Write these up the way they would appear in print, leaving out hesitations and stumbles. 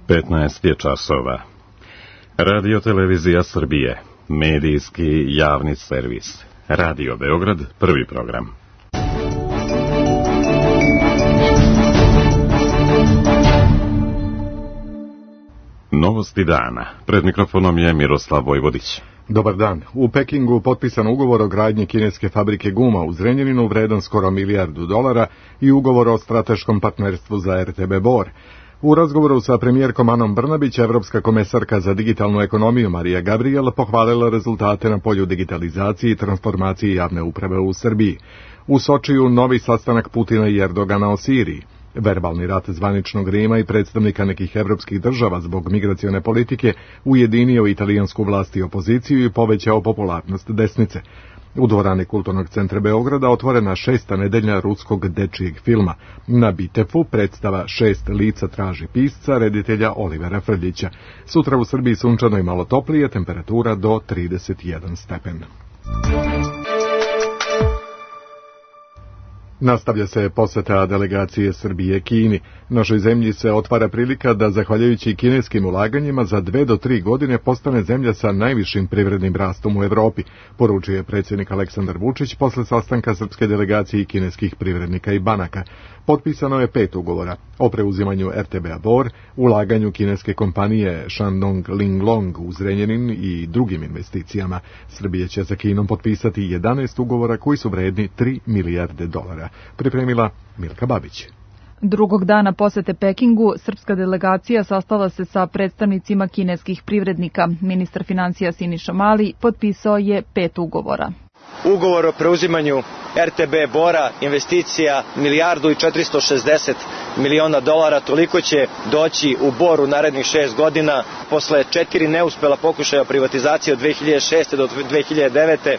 15 je časova. Radio Televizija Srbije, medijski javni servis. Radio Beograd, prvi program. Novosti dana. Pred mikrofonom je Miroslav Vojvodić. Dobar dan. U Pekingu potpisan ugovor o gradnji kineske fabrike guma u Zrenjaninu vredan skoro $1 milijardu i ugovor o strateškom partnerstvu za RTB Bor. U razgovoru sa premijerkom Anom Brnabić, evropska komesarka za digitalnu ekonomiju Marija Gabriel pohvalila rezultate na polju digitalizacije i transformacije javne uprave u Srbiji. U Sočiju novi sastanak Putina i Erdogana o Siriji. Verbalni rat zvaničnog Rima i predstavnika nekih evropskih država zbog migracione politike ujedinio italijansku vlast i opoziciju i povećao popularnost desnice. U dvorani Kulturnog centra Beograda otvorena 6. nedelja ruskog dečijeg filma. Na Bitefu predstava 6 lica traži pisca, reditelja Olivera Frljića. Sutra u Srbiji sunčano i malo toplije, temperatura do 31 stepen. Nastavlja se poseta delegacije Srbije Kini. Našoj zemlji se otvara prilika da, zahvaljujući kineskim ulaganjima, za 2 do 3 godine postane zemlja sa najvišim privrednim rastom u Evropi, poručuje predsjednik Aleksandar Vučić posle sastanka srpske delegacije i kineskih privrednika i banaka. Potpisano je 5 ugovora o preuzimanju RTB-a Bor, ulaganju kineske kompanije Shandong Linglong u Zrenjanin i drugim investicijama. Srbija će sa Kinom potpisati 11 ugovora koji su vredni $3 milijarde. Pripremila Milka Babić. Drugog dana posete Pekingu, srpska delegacija sastala se sa predstavnicima kineskih privrednika. Ministar finansija Siniša Mali potpisao je 5 ugovora. Ugovor o preuzimanju RTB Bora, investicija $1.460 miliona, toliko će doći u Bor u narednih 6 godina. Posle 4 neuspela pokušaja privatizacije od 2006. do 2009.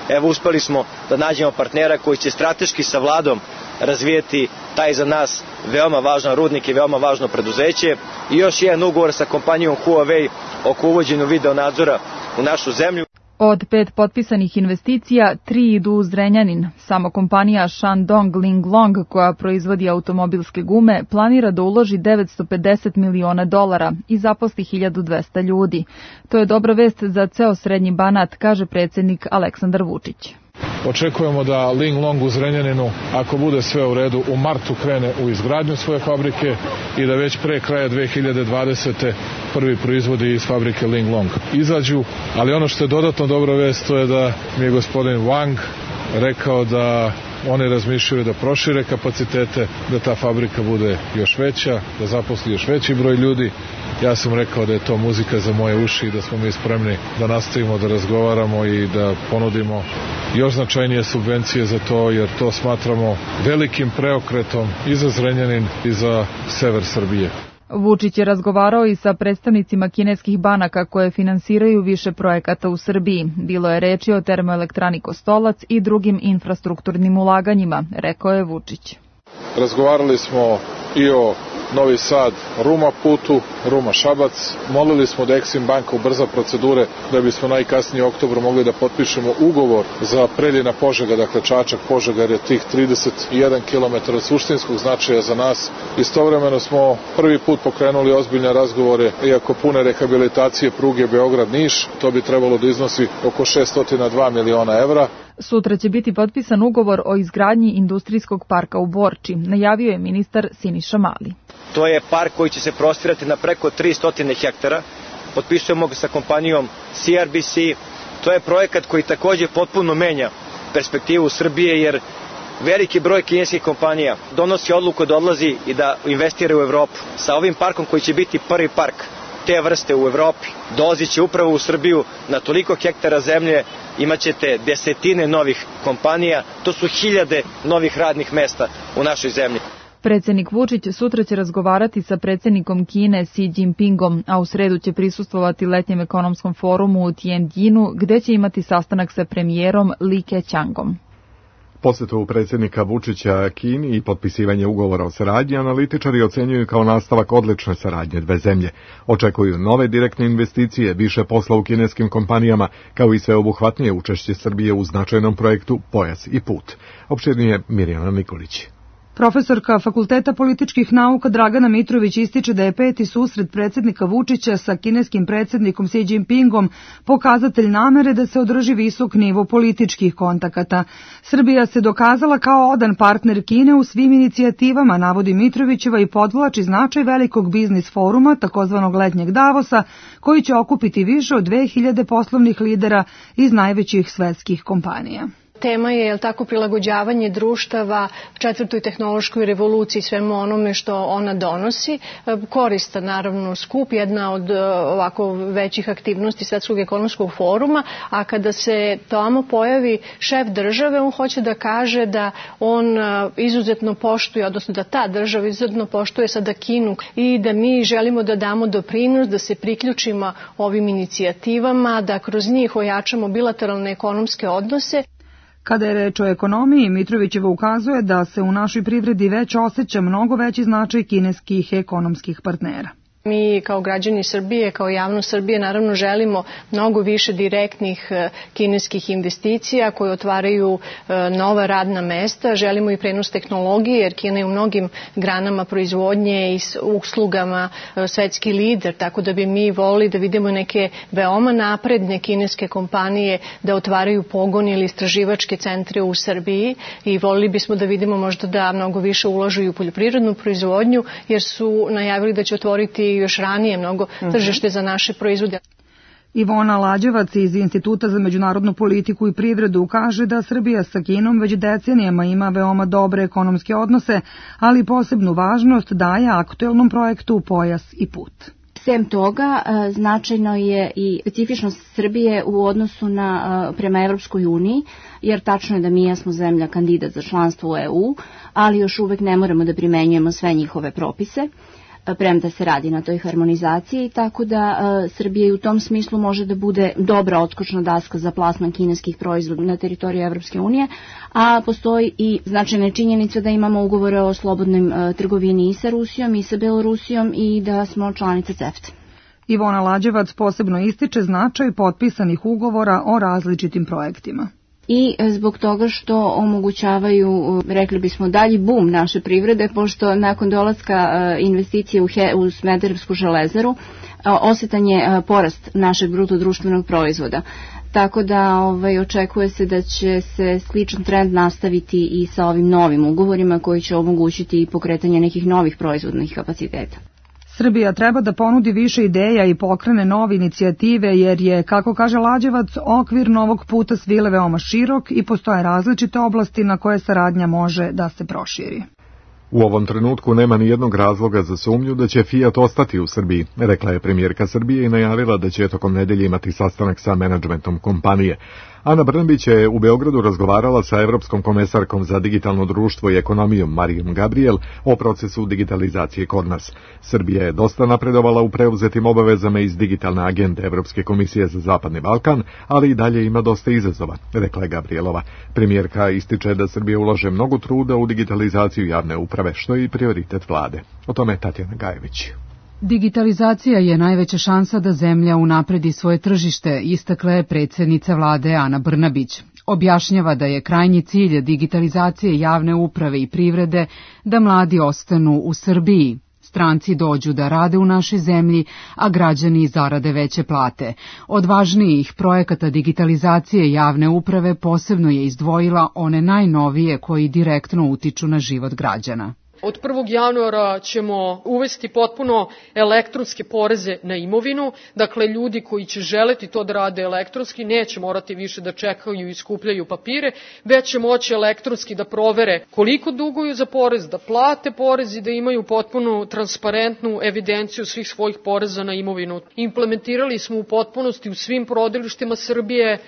Evo, uspeli smo da nađemo partnera koji će strateški sa vladom razvijeti taj za nas veoma važan rudnik i veoma važno preduzeće. I još jedan ugovor sa kompanijom Huawei oko uvođenja video nadzora u našu zemlju. Od 5 potpisanih investicija, 3 idu u Zrenjanin. Samo kompanija Shandong Linglong, koja proizvodi automobilske gume, planira da uloži $950 miliona i zaposli 1200 ljudi. To je dobra vest za ceo srednji Banat, kaže predsjednik Aleksandar Vučić. Očekujemo da Linglong u Zrenjaninu, ako bude sve u redu, u martu krene u izgradnju svoje fabrike i da već pre kraja 2020. prvi proizvodi iz fabrike Linglong izađu. Ali ono što je dodatno dobra vest, to je da mi je gospodin Wang rekao da oni razmišljaju da prošire kapacitete, da ta fabrika bude još veća, da zaposli još veći broj ljudi. Ja sam rekao da je to muzika za moje uši i da smo mi spremni da nastavimo da razgovaramo i da ponudimo još značajnije subvencije za to, jer to smatramo velikim preokretom i za Zrenjanin i za sever Srbije. Vučić je razgovarao i sa predstavnicima kineskih banaka koje finansiraju više projekata u Srbiji. Bilo je reči o termoelektrani Kostolac i drugim infrastrukturnim ulaganjima, rekao je Vučić. Razgovarali smo i o Novi Sad, Ruma putu, Ruma Šabac. Molili smo da Eksim banka ubrza procedure da bismo najkasnije u oktobru mogli da potpišemo ugovor za Preljina Požega, dakle Čačak Požega, jer je tih 31 km suštinskog značaja za nas. Istovremeno smo prvi put pokrenuli ozbiljne razgovore i oko pune rehabilitacije pruge Beograd-Niš. To bi trebalo da iznosi oko 602 miliona evra. Sutra će biti potpisan ugovor o izgradnji industrijskog parka u Borči, najavio je ministar Siniša Mali. To je park koji će se prostirati na preko 300 hektara. Potpisujemo ga sa kompanijom CRBC. To je projekat koji također potpuno menja perspektivu Srbije, jer veliki broj kineskih kompanija donosi odluku da odlazi i da investira u Evropu. Sa ovim parkom koji će biti prvi park te vrste u Evropi, dolazi će upravo u Srbiju na toliko hektara zemlje, imaćete desetine novih kompanija, to su 1000 novih radnih mesta u našoj zemlji. Predsjednik Vučić sutra će razgovarati sa predsjednikom Kine Xi Jinpingom, a u sredu će prisustvovati letnjem ekonomskom forumu u Tianjinu, gde će imati sastanak sa premijerom Li Keqiangom. Posetu predsjednika Vučića Kini i potpisivanje ugovora o saradnji analitičari ocenjuju kao nastavak odlične saradnje dve zemlje. Očekuju nove direktne investicije, više posla u kineskim kompanijama, kao i sveobuhvatnije učešće Srbije u značajnom projektu Pojas i put. Opširnije Mirjana Nikolić. Profesorka Fakulteta političkih nauka Dragana Mitrović ističe da je peti susret predsjednika Vučića sa kineskim predsjednikom Xi Jinpingom pokazatelj namere da se održi visok nivo političkih kontakata. Srbija se dokazala kao odan partner Kine u svim inicijativama, navodi Mitrovićeva i podvlači značaj velikog biznis foruma, takozvanog letnjeg Davosa, koji će okupiti više od 2000 poslovnih lidera iz najvećih svetskih kompanija. Tema je, prilagođavanje društava četvrtoj tehnološkoj revoluciji, svemu onome što ona donosi. Koristan, naravno, skup, jedna od ovako većih aktivnosti Svetskog ekonomskog foruma, a kada se tamo pojavi šef države, on hoće da kaže da on izuzetno poštuje, odnosno da ta država izuzetno poštuje sada Kinu i da mi želimo da damo doprinos, da se priključimo ovim inicijativama, da kroz njih ojačamo bilateralne ekonomske odnose. Kada je reč o ekonomiji, Mitrovićeva ukazuje da se u našoj privredi već osjeća mnogo veći značaj kineskih ekonomskih partnera. Mi kao građani Srbije, kao javnost Srbije, naravno želimo mnogo više direktnih kineskih investicija koje otvaraju nova radna mesta. Želimo i prenos tehnologije, jer Kina je u mnogim granama proizvodnje i uslugama svetski lider, tako da bi mi volili da vidimo neke veoma napredne kineske kompanije da otvaraju pogon ili istraživačke centre u Srbiji i volili bismo da vidimo možda da mnogo više ulažu i u poljoprivrednu proizvodnju, jer su najavili da će otvoriti još ranije mnogo tržište za naše proizvode. Ivona Lađevac iz Instituta za međunarodnu politiku i privredu kaže da Srbija sa Kinom već decenijama ima veoma dobre ekonomske odnose, ali posebnu važnost daje aktuelnom projektu Pojas i put. Sem toga, značajno je i specifičnost Srbije u odnosu prema Evropskoj uniji, jer tačno je da mi jesmo zemlja kandidat za članstvo u EU, ali još uvek ne moramo da primenjujemo sve njihove propise, premda se radi na toj harmonizaciji, tako da Srbija i u tom smislu može da bude dobra odskočna daska za plasman kineskih proizvoda na teritoriji Evropske unije, a postoji i značajna činjenica da imamo ugovore o slobodnoj trgovini i sa Rusijom i sa Belorusijom i da smo članica CEFTA. Ivona Lađevac posebno ističe značaj potpisanih ugovora o različitim projektima. I zbog toga što omogućavaju, rekli bismo, dalji bum naše privrede, pošto nakon dolaska investicije u Smederevsku železaru osetan je porast našeg bruto društvenog proizvoda. Tako da očekuje se da će se sličan trend nastaviti i sa ovim novim ugovorima koji će omogućiti pokretanje nekih novih proizvodnih kapaciteta. Srbija treba da ponudi više ideja i pokrene nove inicijative jer je, kako kaže Lađevac, okvir novog puta svile veoma širok i postoje različite oblasti na koje saradnja može da se proširi. U ovom trenutku nema ni jednog razloga za sumnju da će Fiat ostati u Srbiji, rekla je premijerka Srbije i najavila da će tokom nedelje imati sastanak sa menadžmentom kompanije. Ana Brnabić je u Beogradu razgovarala sa evropskom komesarkom za digitalno društvo i ekonomiju Marijom Gabriel o procesu digitalizacije kod nas. Srbija je dosta napredovala u preuzetim obavezama iz digitalne agende Evropske komisije za Zapadni Balkan, ali i dalje ima dosta izazova, rekla je Gabrielova. Premijerka ističe da Srbija ulaže mnogo truda u digitalizaciju javne uprave, što je i prioritet vlade. O tome Tatjana Gajević. Digitalizacija je najveća šansa da zemlja unapredi svoje tržište, istakla je predsjednica vlade Ana Brnabić. Objašnjava da je krajnji cilj digitalizacije javne uprave i privrede da mladi ostanu u Srbiji. Stranci dođu da rade u našoj zemlji, a građani zarade veće plate. Od važnijih projekata digitalizacije javne uprave posebno je izdvojila one najnovije koji direktno utiču na život građana. Od 1. januara ćemo uvesti potpuno elektronske poreze na imovinu, dakle ljudi koji će želeti to da rade elektronski neće morati više da čekaju i skupljaju papire, već će moći elektronski da provere koliko duguju za porez, da plate porez i da imaju potpuno transparentnu evidenciju svih svojih poreza na imovinu. Implementirali smo u potpunosti u svim porodilištima Srbije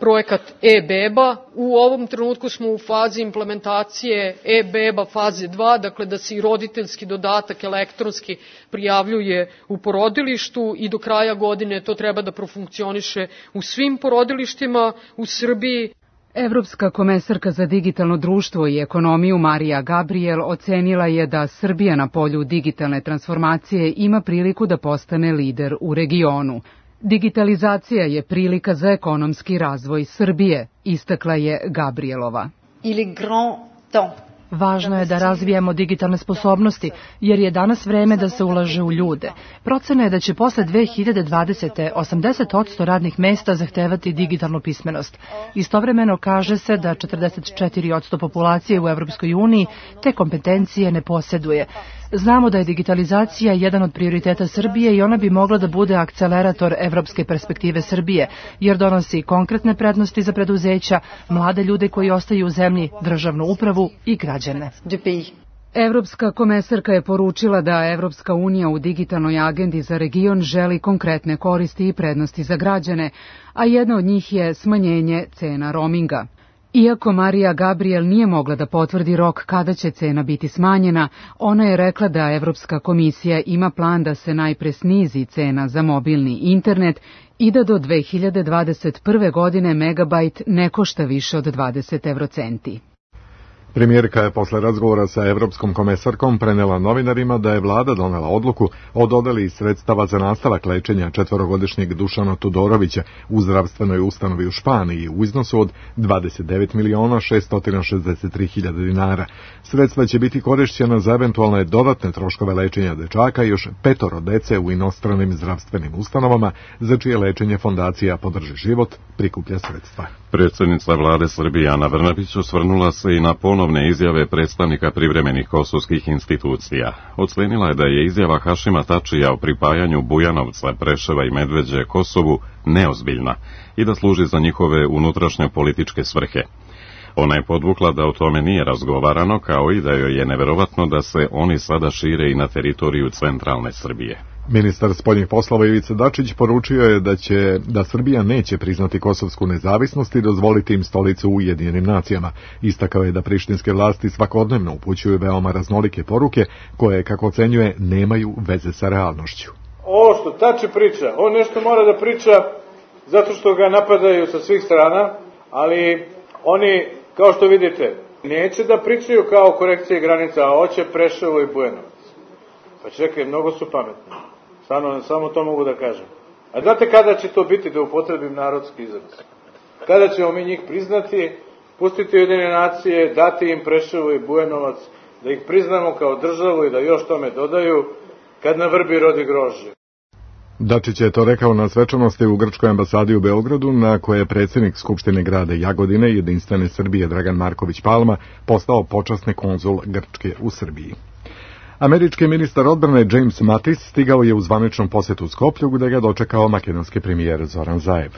projekat e-beba. U ovom trenutku smo u fazi implementacije e-beba faze 2, dakle da se i roditeljski dodatak elektronski prijavljuje u porodilištu i do kraja godine to treba da profunkcioniše u svim porodilištima u Srbiji. Evropska komesarka za digitalno društvo i ekonomiju Marija Gabriel ocenila je da Srbija na polju digitalne transformacije ima priliku da postane lider u regionu. Digitalizacija je prilika za ekonomski razvoj Srbije, istakla je Gabrielova. Il est grand temps Važno je da razvijamo digitalne sposobnosti, jer je danas vreme da se ulaže u ljude. Procena je da će posle 2020. 80% radnih mesta zahtevati digitalnu pismenost. Istovremeno kaže se da 44% populacije u Evropskoj uniji te kompetencije ne posjeduje. Znamo da je digitalizacija jedan od prioriteta Srbije i ona bi mogla da bude akcelerator evropske perspektive Srbije, jer donosi konkretne prednosti za preduzeća, mlade ljude koji ostaju u zemlji, državnu upravu i građane. Evropska komesarka je poručila da Evropska unija u digitalnoj agendi za region želi konkretne koristi i prednosti za građane, a jedna od njih je smanjenje cena roaminga. Iako Marija Gabriel nije mogla da potvrdi rok kada će cena biti smanjena, ona je rekla da Evropska komisija ima plan da se najpre snizi cena za mobilni internet i da do 2021. godine megabajt ne košta više od 20 eurocenti. Premijerka je posle razgovora sa Evropskom komesarkom prenela novinarima da je vlada donela odluku o dodeli sredstava za nastavak lečenja 4-godišnjeg Dušana Tudorovića u zdravstvenoj ustanovi u Španiji u iznosu od 29.663.000 dinara. Sredstva će biti korišćena za eventualne dodatne troškove lečenja dečaka i još 5 dece u inostranim zdravstvenim ustanovama, za čije lečenje fondacija Podrži život prikuplja sredstva. Predsjednica vlade Srbije Ana Brnabić osvrnula se i na ponovne izjave predstavnika privremenih kosovskih institucija. Ocenila je da je izjava Hašima Tačija o pripajanju Bujanovca, Preševa i Medveđe Kosovu neozbiljna i da služi za njihove unutrašnje političke svrhe. Ona je podvukla da o tome nije razgovarano, kao i da joj je neverovatno da se oni sada šire i na teritoriju centralne Srbije. Ministar spoljnih poslova Ivica Dačić poručio je da Srbija neće priznati kosovsku nezavisnost i dozvoliti im stolicu u Ujedinjenim nacijama. Istakao je da prištinske vlasti svakodnevno upućuju veoma raznolike poruke koje, kako ocenjuje, nemaju veze sa realnošću. Ovo što Tači priča, on nešto mora da priča zato što ga napadaju sa svih strana, ali oni, kao što vidite, neće da pričaju kao korekcije granica, a hoće Preševo i Bujanovac. Pa čekaj, mnogo su pametni. Samo to mogu da kažem. A znate kada će to biti, da upotrebim narodski izraz? Kada ćemo mi njih priznati, pustiti Ujedinjene nacije, dati im Preševo i Bujanovac, da ih priznamo kao državu i da još tome dodaju, kad na vrbi rodi grožđe. Dačić je to rekao na svečanosti u Grčkoj ambasadi u Beogradu, na koje je predsjednik Skupštine grada Jagodine Jedinstvene Srbije Dragan Marković Palma postao počasni konzul Grčke u Srbiji. Američki ministar odbrane James Mattis stigao je u zvaničnom posjetu Skoplju, gde ga dočekao makedonski premijer Zoran Zaev.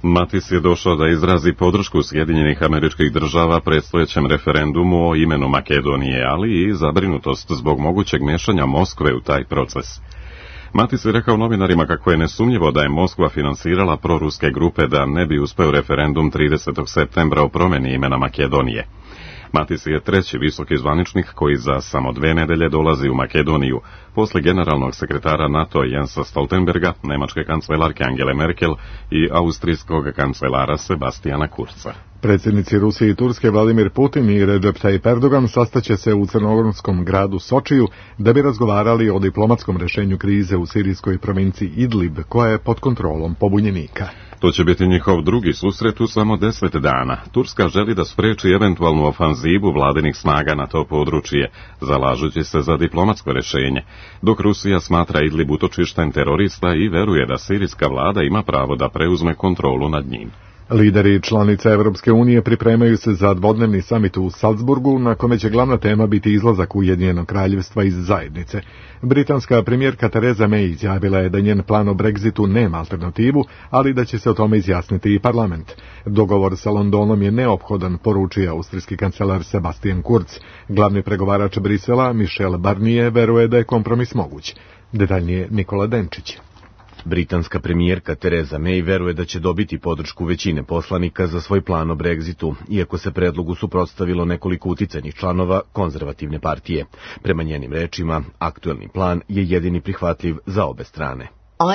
Mattis je došao da izrazi podršku Sjedinjenih Američkih Država predstojećem referendumu o imenu Makedonije, ali i zabrinutost zbog mogućeg mešanja Moskve u taj proces. Mattis je rekao novinarima kako je nesumnjivo da je Moskva finansirala proruske grupe da ne bi uspeo referendum 30. septembra o promjeni imena Makedonije. Mattis je treći visoki zvaničnik koji za samo 2 nedelje dolazi u Makedoniju, posle generalnog sekretara NATO Jensa Stoltenberga, nemačke kancelarke Angele Merkel i austrijskog kancelara Sebastiana Kurza. Predsjednici Rusije i Turske Vladimir Putin i Recep Tayyip Erdogan sastaće se u crnogorskom gradu Sočiju da bi razgovarali o diplomatskom rešenju krize u sirijskoj provinciji Idlib, koja je pod kontrolom pobunjenika. To će biti njihov drugi susret u samo 10 dana. Turska želi da spreči eventualnu ofanzivu vladinih snaga na to područje, zalažući se za diplomatsko rešenje, dok Rusija smatra Idlib utočištem terorista i veruje da sirijska vlada ima pravo da preuzme kontrolu nad njim. Lideri članica Evropske unije pripremaju se za dvodnevni samit u Salzburgu, na kome će glavna tema biti izlazak Ujedinjenog kraljevstva iz zajednice. Britanska premijerka Theresa May izjavila je da njen plan o Brexitu nema alternativu, ali da će se o tome izjasniti i parlament. Dogovor sa Londonom je neophodan, poručio austrijski kancelar Sebastian Kurz. Glavni pregovarač Brisela, Michel Barnier, veruje da je kompromis moguć. Detaljnije Nikola Denčić. Britanska premijerka Theresa May veruje da će dobiti podršku većine poslanika za svoj plan o Brexitu, iako se predlogu suprotstavilo nekoliko uticajnih članova konzervativne partije. Prema njenim rečima, aktuelni plan je jedini prihvatljiv za obe strane.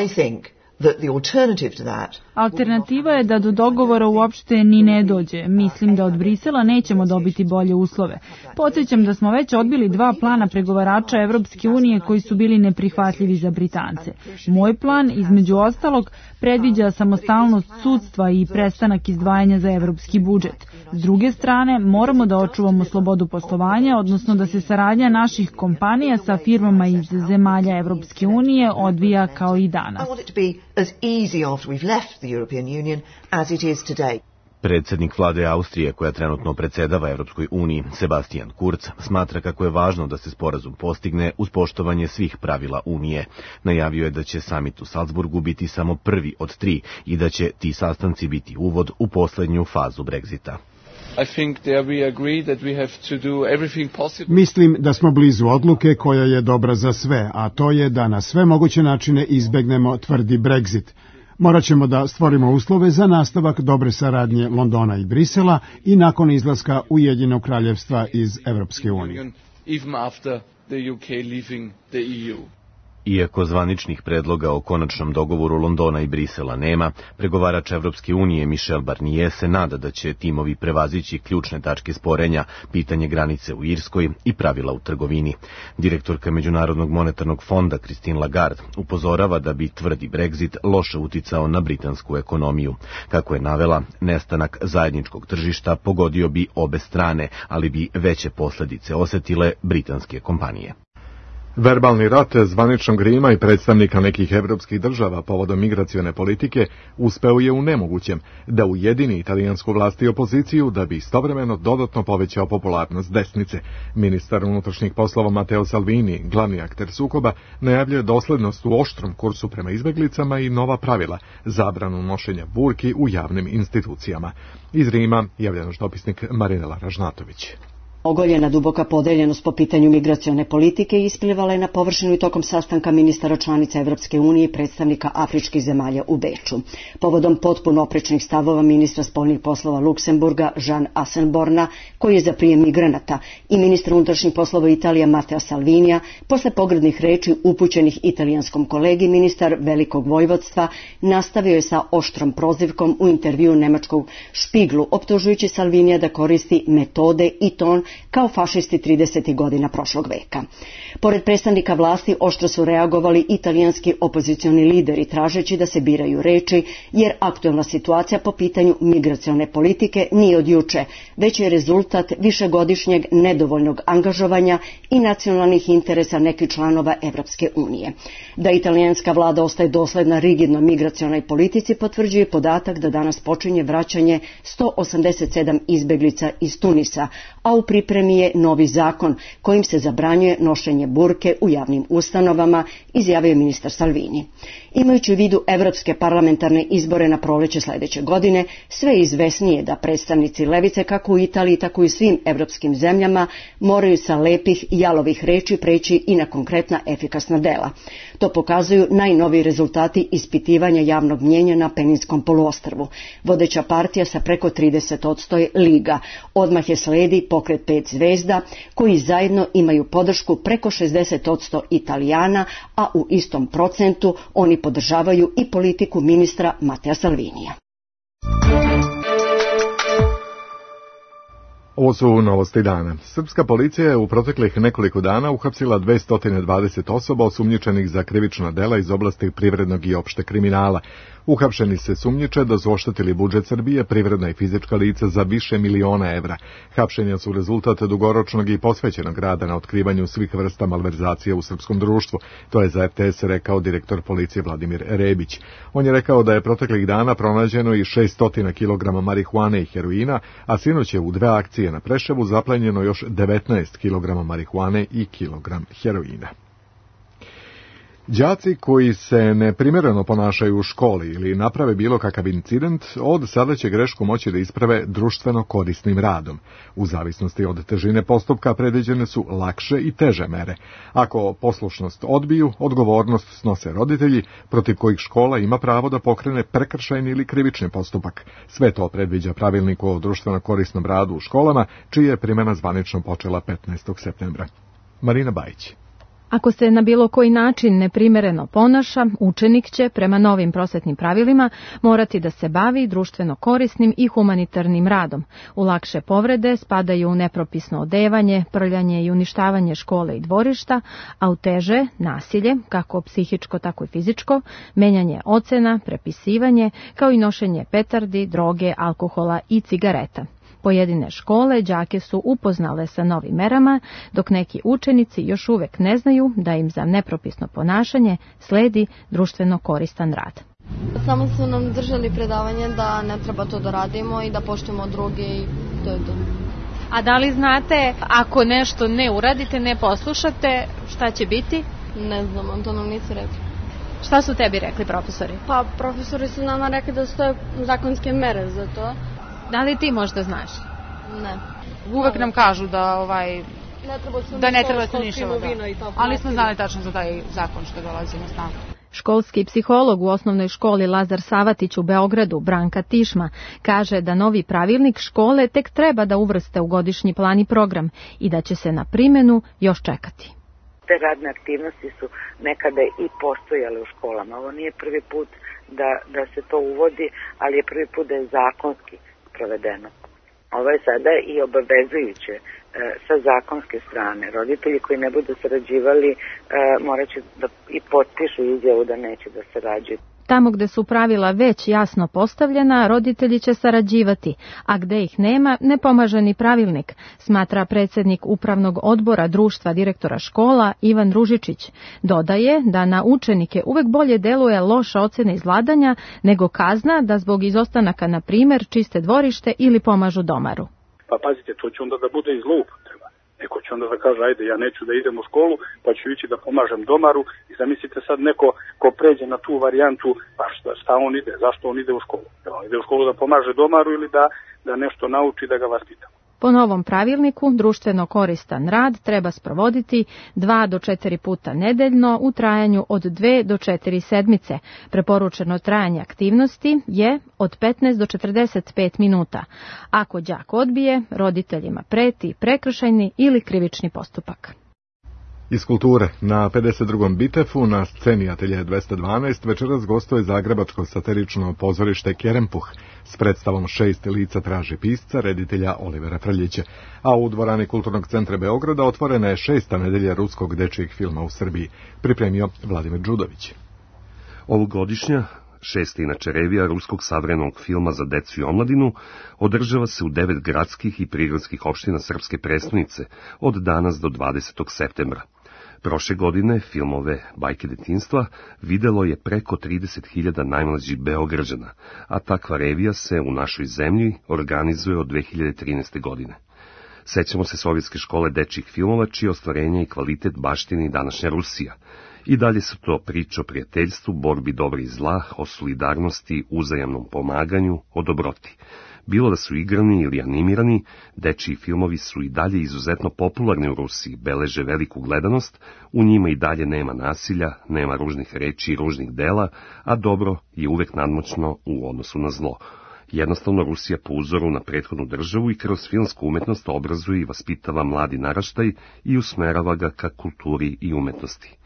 I think that the alternative to that Alternativa je da do dogovora uopšte ni ne dođe. Mislim da od Brisela nećemo dobiti bolje uslove. Podsjećam da smo već odbili 2 plana pregovarača Evropske unije koji su bili neprihvatljivi za Britance. Moj plan, između ostalog, predviđa samostalnost sudstva i prestanak izdvajanja za evropski budžet. S druge strane, moramo da očuvamo slobodu poslovanja, odnosno da se saradnja naših kompanija sa firmama iz zemalja Evropske unije odvija kao i danas. Predsjednik vlade Austrije, koja trenutno predsedava Evropskoj uniji, Sebastian Kurz, smatra kako je važno da se sporazum postigne uz poštovanje svih pravila Unije. Najavio je da će samit u Salzburgu biti samo prvi od 3 i da će ti sastanci biti uvod u poslednju fazu Brexita. Mislim da smo blizu odluke koja je dobra za sve, a to je da na sve moguće načine izbegnemo tvrdi Brexit. Morat ćemo da stvorimo uslove za nastavak dobre saradnje Londona i Brisela i nakon izlaska Ujedinjenog kraljevstva iz Evropske unije. Iako zvaničnih predloga o konačnom dogovoru Londona i Brisela nema, pregovarač Evropske unije Michel Barnier se nada da će timovi prevazići ključne tačke sporenja, pitanje granice u Irskoj i pravila u trgovini. Direktorka Međunarodnog monetarnog fonda Christine Lagarde upozorava da bi tvrdi Brexit loše uticao na britansku ekonomiju. Kako je navela, nestanak zajedničkog tržišta pogodio bi obe strane, ali bi veće posljedice osetile britanske kompanije. Verbalni rat zvaničnog Rima i predstavnika nekih evropskih država povodom migracione politike uspeo je u nemogućem da ujedini italijansku vlast i opoziciju da bi istovremeno dodatno povećao popularnost desnice. Ministar unutrašnjih poslova Matteo Salvini, glavni akter sukoba, najavljuje doslednost u oštrom kursu prema izbeglicama i nova pravila, zabranu nošenja burki u javnim institucijama. Iz Rima javlja naš dopisnik Marinela Ražnatović. Ogoljena duboka podeljenost po pitanju migracione politike isplivala je na površinu i tokom sastanka ministara članica Evropske unije i predstavnika afričkih zemalja u Beču. Povodom potpuno oprečnih stavova ministra spoljnih poslova Luksemburga Jean Asselborna, koji je za prijem migranata, i ministra unutrašnjih poslova Italije Matteo Salvinija, posle pogrdnih reči upućenih italijanskom kolegi, ministar Velikog Vojvodstva nastavio je sa oštrom prozivkom u intervju nemačkog Špiglu, optužujući Salvinija da koristi metode i ton kao fašisti 30. godina prošlog veka. Pored predstavnika vlasti oštro su reagovali italijanski opozicioni lideri tražeći da se biraju reči, jer aktuelna situacija po pitanju migracione politike nije od juče, već je rezultat višegodišnjeg nedovoljnog angažovanja i nacionalnih interesa nekih članova Evropske unije. Da italijanska vlada ostaje dosledna rigidnoj migracionoj politici potvrđuje podatak da danas počinje vraćanje 187 izbeglica iz Tunisa, a u pripremi je novi zakon kojim se zabranjuje nošenje burke u javnim ustanovama, izjavio ministar Salvini. Imajući u vidu evropske parlamentarne izbore na proleće sledeće godine, sve je izvesnije da predstavnici levice kako u Italiji tako i svim evropskim zemljama moraju sa lepih i jalovih reči preći i na konkretna efikasna dela. To pokazuju najnoviji rezultati ispitivanja javnog mnjenja na Peninskom poluostrvu. Vodeća partija sa preko 30% je Liga. Odmah je sledi pokret 5 zvezda, koji zajedno imaju podršku preko 60% Italijana, a u istom procentu oni podržavaju i politiku ministra Mattea Salvinija. Ovo su novosti dana. Srpska policija je u proteklih nekoliko dana uhapsila 220 osoba osumnjičenih za krivična dela iz oblasti privrednog i opšte kriminala. Uhapšeni se sumnjiče da su oštetili budžet Srbije, privredna i fizička lica za više miliona evra. Hapšenja su rezultat dugoročnog i posvećenog rada na otkrivanju svih vrsta malverzacija u srpskom društvu. To je za RTS rekao direktor policije Vladimir Rebić. On je rekao da je proteklih dana pronađeno i 600 kg marihuane i heroina, a sinoć je u 2 akcije na Preševu zaplenjeno još 19 kg marihuane i kilogram heroina. Đaci koji se neprimjereno ponašaju u školi ili naprave bilo kakav incident, od sada će grešku moći da isprave društveno korisnim radom. U zavisnosti od težine postupka predviđene su lakše i teže mere. Ako poslušnost odbiju, odgovornost snose roditelji, protiv kojih škola ima pravo da pokrene prekršajni ili krivični postupak. Sve to predviđa pravilnik o društveno korisnom radu u školama, čija je primjena zvanično počela 15. septembra. Marina Bajić. Ako se na bilo koji način neprimereno ponaša, učenik će, prema novim prosvetnim pravilima, morati da se bavi društveno korisnim i humanitarnim radom. U lakše povrede spadaju nepropisno odevanje, prljanje i uništavanje škole i dvorišta, a u teže nasilje, kako psihičko, tako i fizičko, menjanje ocena, prepisivanje, kao i nošenje petardi, droge, alkohola i cigareta. Pojedine škole đake su upoznale sa novim merama, dok neki učenici još uvek ne znaju da im za nepropisno ponašanje sledi društveno koristan rad. Samo su nam držali predavanje da ne treba to da radimo i da poštujemo druge i to je to. A da li znate, ako nešto ne uradite, ne poslušate, šta će biti? Ne znam, to nam nisu rekli. Šta su tebi rekli profesori? Pa profesori su nama rekli da stoje zakonske mere za to. Da li ti možda znaš? Ne. Uvek nam kažu da ne treba se ništa, ali smo znali tačno za taj zakon što dolazi na snagu. Školski psiholog u osnovnoj školi Lazar Savatić u Beogradu, Branka Tišma, kaže da novi pravilnik škole tek treba da uvrste u godišnji plan i program i da će se na primjenu još čekati. Te radne aktivnosti su nekada i postojale u školama. Ovo nije prvi put da se to uvodi, ali je prvi put da je zakonski provedeno. Ovo je sada i obavezujuće sa zakonske strane. Roditelji koji ne budu sarađivali morat će da i potpišu izjavu da neće da sarađuju. Tamo gde su pravila već jasno postavljena, roditelji će sarađivati, a gde ih nema, ne pomaže ni pravilnik, smatra predsjednik Upravnog odbora Društva direktora škola Ivan Ružičić. Dodaje da na učenike uvek bolje deluje loša ocena iz vladanja nego kazna da zbog izostanaka, na primjer, čiste dvorište ili pomažu domaru. Pa pazite, to će onda da bude i zloupotreba. Neko će onda da kaže, ajde, ja neću da idem u školu, pa ću ići da pomažem domaru i zamislite sad neko ko pređe na tu varijantu, pa šta on ide, zašto on ide u školu? On ide u školu da pomaže domaru ili da nešto nauči da ga vaspita. Po novom pravilniku, društveno koristan rad treba sprovoditi 2 do 4 puta nedeljno u trajanju od 2 do 4 sedmice. Preporučeno trajanje aktivnosti je od 15 do 45 minuta. Ako đak odbije, roditeljima preti prekršajni ili krivični postupak. Iz kulture, na 52. Bitefu na sceni Atelje 212 večeras gostuje zagrebačko satirično pozorište Kerempuh s predstavom 6 lica traži pisca, reditelja Olivera Frljića, a u dvorani Kulturnog centra Beograda otvorena je 6. nedelja ruskog dečijeg filma u Srbiji, pripremio Vladimir Đudović. Ovogodišnja 6. inače revija ruskog savremenog filma za decu i omladinu održava se u 9 gradskih i prigradskih opština srpske prestonice od danas do 20. septembra. Prošle godine filmove Bajke detinjstva videlo je preko 30.000 najmlađih Beograđana, a takva revija se u našoj zemlji organizuje od 2013. godine. Sećamo se sovjetske škole dečjih filmova, čije ostvarenje i kvalitet baštini današnja Rusija. I dalje su to priče o prijateljstvu, borbi dobra i zla, o solidarnosti, uzajamnom pomaganju, o dobroti. Bilo da su igrani ili animirani, dečiji filmovi su i dalje izuzetno popularni u Rusiji, beleže veliku gledanost, u njima i dalje nema nasilja, nema ružnih reči i ružnih dela, a dobro je uvek nadmoćno u odnosu na zlo. Jednostavno Rusija po uzoru na prethodnu državu i kroz filmsku umetnost obrazuje i vaspitava mladi naraštaj i usmerava ga ka kulturi i umetnosti.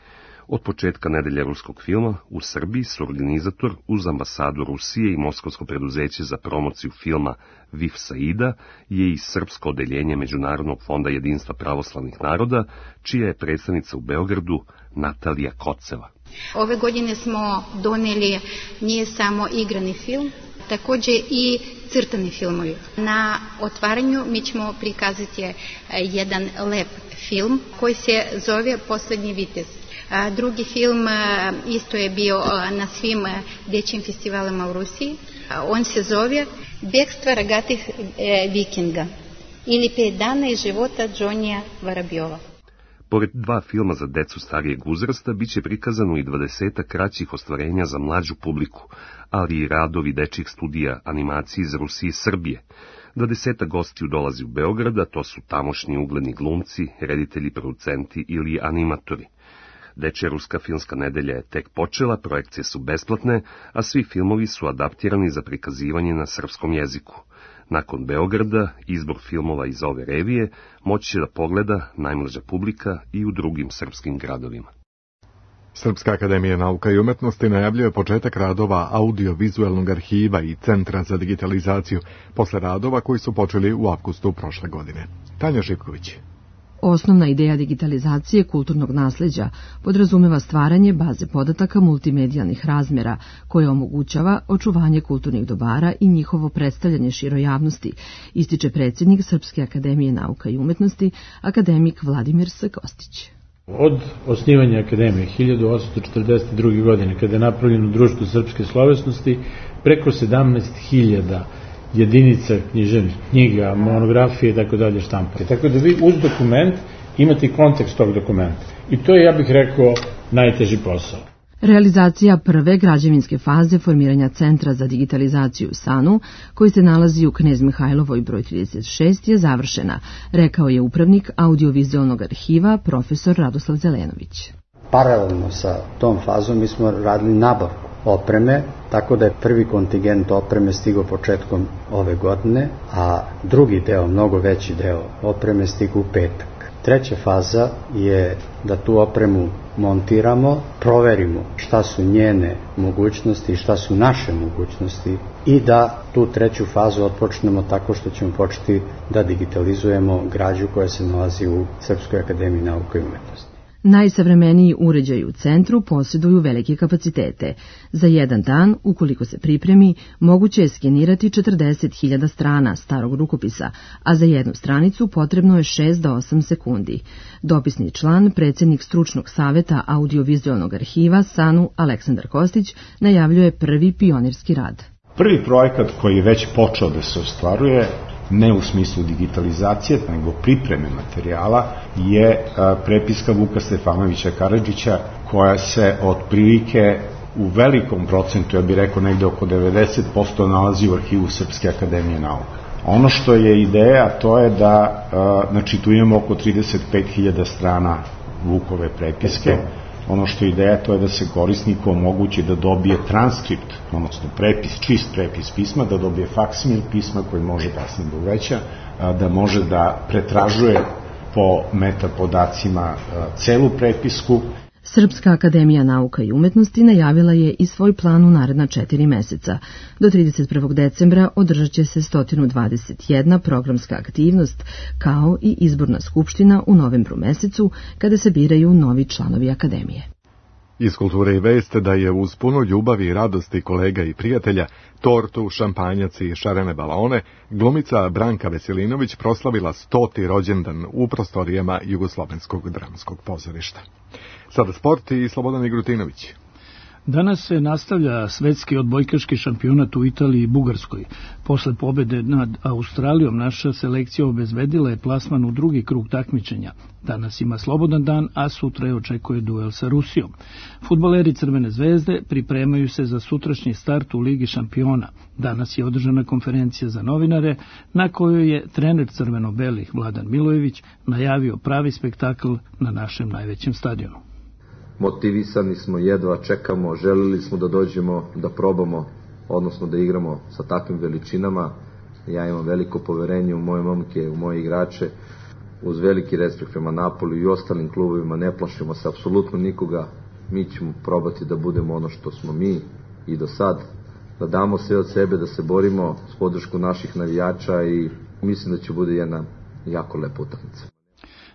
Od početka nedelje ruskog filma u Srbiji su organizator uz ambasadu Rusije i Moskovsko preduzeće za promociju filma VIF Saida je i srpsko odeljenje Međunarodnog fonda jedinstva pravoslavnih naroda, čija je predstavnica u Beogradu Natalija Koceva. Ove godine smo doneli nije samo igrani film, također i crtani filmovi. Na otvaranju mi ćemo prikazati jedan lep film koji se zove Poslednji vitez. Drugi film isto je bio na svim dječjim festivalima u Rusiji. On se zove Bekstvo rogatih vikinga ili 5 dana iz života Džonija Varabjova. Pored 2 filma za decu starijeg uzrasta, bit će prikazano i 20 kraćih ostvarenja za mlađu publiku, ali i radovi dečjih studija animacije iz Rusije i Srbije. 20 gostiju dolazi u Beograd, a to su tamošnji ugledni glumci, reditelji, producenti ili animatori. Dečja ruska filmska nedelja je tek počela, projekcije su besplatne, a svi filmovi su adaptirani za prikazivanje na srpskom jeziku. Nakon Beograda, izbor filmova iz ove revije moći će da pogleda najmlađa publika i u drugim srpskim gradovima. Srpska akademija nauka i umetnosti najavljuje početak radova audio-vizualnog arhiva i Centra za digitalizaciju posle radova koji su počeli u avgustu prošle godine. Tanja Živković. Osnovna ideja digitalizacije kulturnog nasleđa podrazumeva stvaranje baze podataka multimedijalnih razmjera koje omogućava očuvanje kulturnih dobara i njihovo predstavljanje široj javnosti, ističe predsjednik Srpske akademije nauka i umetnosti, akademik Vladimir S. Kostić. Od osnivanja akademije 1842. godine, kada je napravljeno Društvo srpske slovesnosti, preko 17.000 jedinica književnih knjiga, monografije i tako dalje štampare. Tako da vi uz dokument imate kontekst tog dokumenta. I to je, ja bih rekao, najteži posao. Realizacija prve građevinske faze formiranja Centra za digitalizaciju SANU, koji se nalazi u Knez Mihajlovoj broj 36, je završena, rekao je upravnik audiovizualnog arhiva profesor Radoslav Zelenović. Paralelno sa tom fazom mi smo radili nabavku opreme, tako da je prvi kontingent opreme stigao početkom ove godine, a drugi deo, mnogo veći deo opreme stigao u petak. Treća faza je da tu opremu montiramo, proverimo šta su njene mogućnosti i šta su naše mogućnosti i da tu treću fazu otpočnemo tako što ćemo početi da digitalizujemo građu koja se nalazi u Srpskoj akademiji nauka i umetnosti. Najsavremeniji uređaji u centru posjeduju velike kapacitete. Za jedan dan, ukoliko se pripremi, moguće je skenirati 40.000 strana starog rukopisa, a za jednu stranicu potrebno je 6 do 8 sekundi. Dopisni član, predsjednik stručnog saveta audiovizualnog arhiva SANU Aleksandar Kostić, najavljuje prvi pionirski rad. Prvi projekat koji je već počeo da se ostvaruje, ne u smislu digitalizacije, nego pripreme materijala, je prepiska Vuka Stefanovića Karadžića, koja se otprilike u velikom procentu, ja bih rekao negde oko 90%, nalazi u arhivu Srpske akademije nauka. Ono što je ideja, to je da, znači tu imamo oko 35.000 strana Vukove prepiske. Ono što je ideja, to je da se korisniku omogući da dobije transkript, odnosno prepis, čist prepis pisma, da dobije faksimil pisma koji može kasnije da uveća, da može da pretražuje po metapodacima celu prepisku. Srpska akademija nauka i umetnosti najavila je i svoj plan u naredna 4 meseca. Do 31. decembra održat će se 121 programska aktivnost, kao i izborna skupština u novembru mesecu, kada se biraju novi članovi akademije. Iz kulture i veste da je uz puno ljubavi i radosti kolega i prijatelja, tortu, šampanjac i šarene balone, glumica Branka Veselinović proslavila 100. rođendan u prostorijama Jugoslovenskog dramskog pozorišta. Sada sport i Slobodan Igrutinović. Danas se nastavlja svetski odbojkaški šampionat u Italiji i Bugarskoj. Posle pobede nad Australijom naša selekcija obezbedila je plasman u drugi krug takmičenja. Danas ima slobodan dan, a sutra je očekuje duel sa Rusijom. Fudbaleri Crvene zvezde pripremaju se za sutrašnji start u Ligi šampiona. Danas je održana konferencija za novinare, na kojoj je trener crveno-belih Vladan Milojević najavio pravi spektakl na našem najvećem stadionu. Motivisani smo, jedva čekamo, želili smo da dođemo, da probamo, odnosno da igramo sa takvim veličinama. Ja imam veliko poverenje u moje momke, u moje igrače, uz veliki respekt prema Napoli i ostalim klubovima, ne plašimo se apsolutno nikoga. Mi ćemo probati da budemo ono što smo mi i do sad, da damo sve od sebe, da se borimo s podršku naših navijača i mislim da će bude jedna jako lepa utakmica.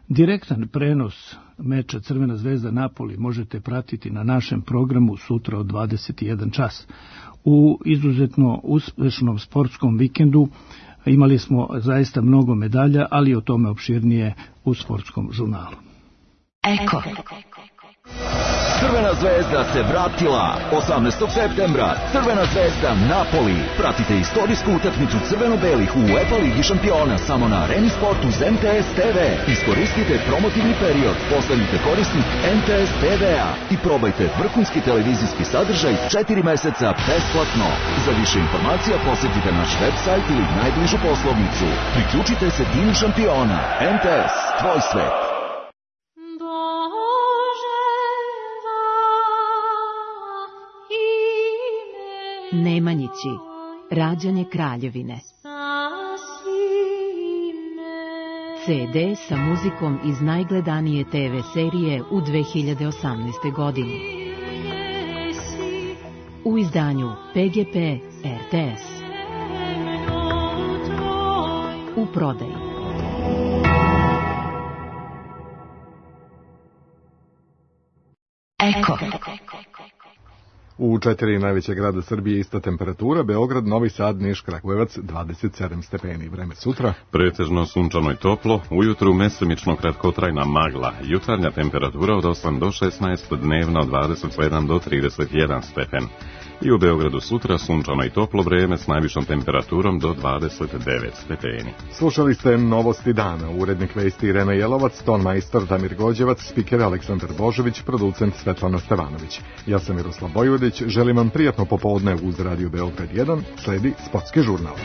Direktan prenos meča Crvena zvezda Napoli možete pratiti na našem programu sutra od 21 čas. U izuzetno uspešnom sportskom vikendu imali smo zaista mnogo medalja, ali o tome opširnije u sportskom žurnalu. Eko. Crvena zvezda se vratila 18. septembra. Crvena zvezda Napoli. Pratite istorijsku utakmicu crveno-belih u UEFA Ligi šampiona samo na Areni Sportu uz MTS TV. Iskoristite promotivni period, postanite korisnik MTS TV-a i probajte vrhunski televizijski sadržaj 4 meseca besplatno. Za više informacija posjetite naš web sajt ili najbližu poslovnicu. Priključite se timu šampiona. MTS, tvoj svet. Nemanjići, rađanje kraljevine. CD sa muzikom iz najgledanije TV serije u 2018. godini. U izdanju PGP RTS. U prodaji. Eko. U 4 najveće grada Srbije ista temperatura, Beograd, Novi Sad, Niš, Kragujevac 27 stepeni. Vreme sutra. Pretežno sunčano i toplo, ujutru mesemično kratkotrajna magla, jutarnja temperatura od 8 do 16, dnevna od 27 do 31 stepen. I u Beogradu sutra sunčano i toplo vreme s najvišom temperaturom do 29 stepeni. Slušali ste novosti dana, urednik vesti Irena Jelovac, ton majstor Damir Gođevac, spiker Aleksandar Božović, producent Svetlana Stevanović. Ja sam Miroslav Bojvodić, želim vam prijatno popodne uz Radio Beograd 1, sledi sportski žurnal.